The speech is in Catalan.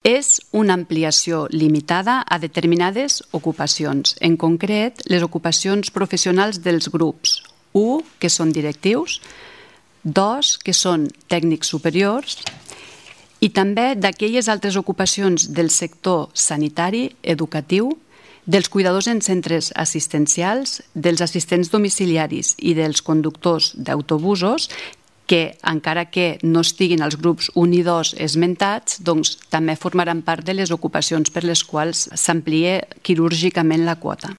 És una ampliació limitada a determinades ocupacions, en concret les ocupacions professionals dels grups 1, que són directius, 2, que són tècnics superiors, i també d'aquelles altres ocupacions del sector sanitari, educatiu, dels cuidadors en centres assistencials, dels assistents domiciliaris i dels conductors d'autobusos, que encara que no estiguin als grups 1 i 2 esmentats, doncs també formaran part de les ocupacions per les quals s'amplia quirúrgicament la quota.